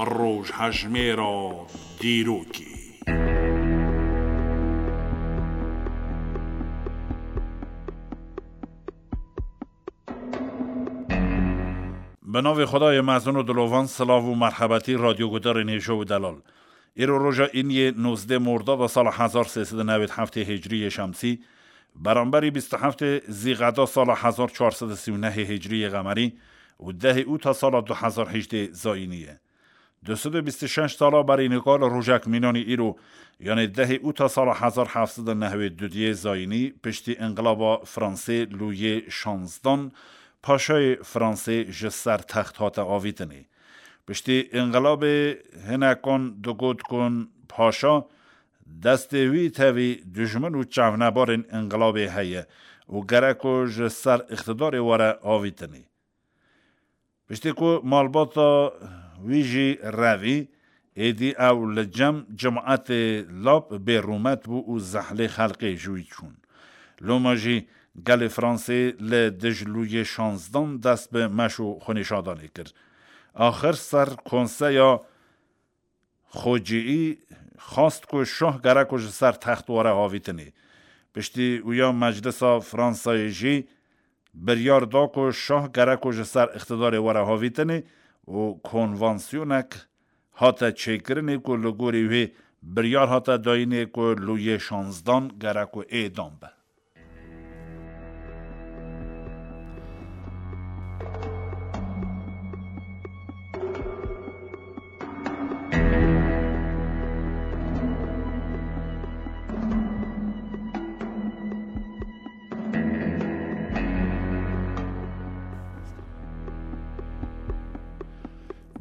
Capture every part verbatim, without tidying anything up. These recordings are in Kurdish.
Rojhejmêra dîrokê. Bi navê Xwedayê mezin û dilovan, silav û merhebetî radyogudarên hêja û delal. Îro roja îniyê nozdeh Mordada sala hezar sê sed û newêd heftê hicriyê şemsî, beramberî bîst û heftê Zîqeda sala hezar çar sed û sî û nehê hicriyê qemerî û dehê Ûta sala du hezar hejdê zayînî ye. Du sed û bîst û şeş sala berî nika li rojek mînanî îro, yanê dehê Ûta sala hezar heft sed û newêd û duyê zayînî, piştî înqilaba Fransê Lûyê şanzdan, paşayê Fransê ji ser text hate avîtinê. Piştî înqilabê hinekan digot ku paşa destê wî tevî dijmin û çavnebarên înqilabê heye û gerek ku ji ser îqtidarê were avîtinê. Piştî ku malbata wî jî revî, êdî ew li cem cimatê lap bêrûmet bû û zehlê xelkê ji wî çûn. Loma jî gelê Fransê li dij Lûyê şanzdan dest bi meş û xwenîşadanê kir. Axir ser konseya xwecihî xwest ku şah gerek ku ji ser text were havîtinê. Piştî wîya Meclisa Fransayê jî biryar da ku şah gerek ku ji ser îqtidarê were havîtinê û konvansyonek hate çêkirinê ku li gorî wê biryar hate dayînê ku Lûyê şanzdan gerek ku êdam be.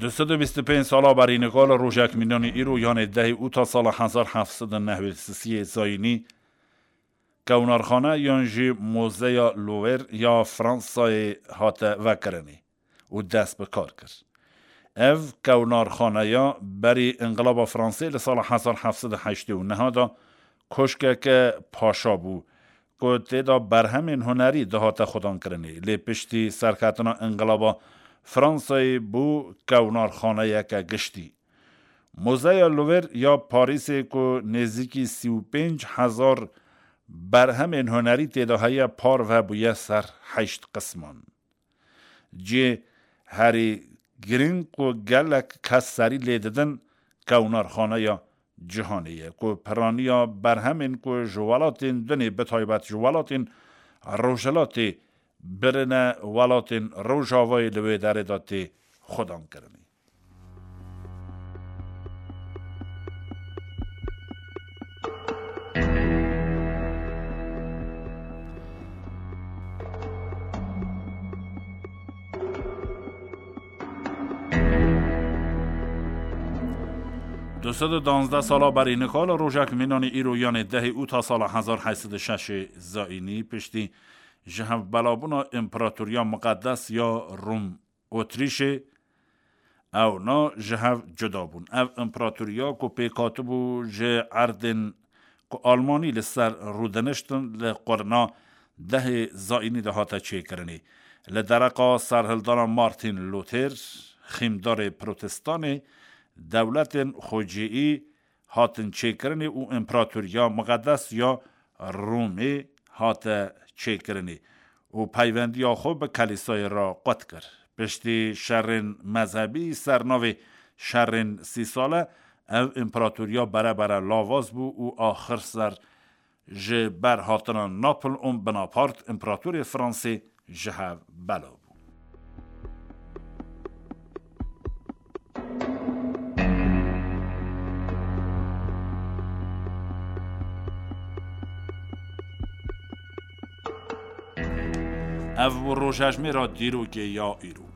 Du sed û bîst û pênc sala berî nika li rojek mînanî îro, yanê dehê Ûta sala hezar heft sed û newêd û sisiyê zayînî, Kewnarxane yan jî Muzeya Louvre ya Fransayê hate vekirinê û dest bi kar kir. Ev kewnarxaneya berî înqilaba Fransê li sala hezar heft sed û heştê û neh de koşkeke paşa bû ku tê de berhemên hunerî dihate xwedankirinê. Lê piştî serketina înqilaba Fransayê bû kewnarxaneyeke giştî. Muzeya Louvre ya Parîsê ku nêzîkî sî û pênc hezar berhemên hunerî tê de heye, parve bûye ser heşt qisman. Cihê herî girîng ku gelek kes serî lê didin, kewnarxaneya cîhanê ye, ku piraniya berhemên ku ji welatên dinê, bi taybet ji welatên Rojhilatê, birine welatên Rojavayê li wê derê de tê xwedankirinê. Du sed û danzdeh sala berî nika li rojek mînanî îro, yanê dehê Ûta sala hezar heşt sed û şeş zayînî, piştî ji hev belabûna împeratoriya miqedes ya Rûm Otrîşê, ewna ji hev cuda bûn. Ev împeratoriya ku pêk hatibû ji erdên ku Almanî li ser rûdiniştin, li qurna dehê zayînî de hate çêkirinê. Li dereqa serhildana Martin Luther, xîmdarê protestanê, dewletên xwecihî hatin çêkirinê û împeratoriya miqedes ya Rûmê hate çêkirinê û peyvendiya xwe bi Kelîsayê re qut kir. Piştî şerên mezhebî ser navê şerên sî sale, ev împeratoriya berebere lawaz bû û axir ser ji ber hatina Napoleon Bonaparte, împeratorê Fransê, ji hev bela bû. Ev bû rojhejmêra dîrokê ya îro.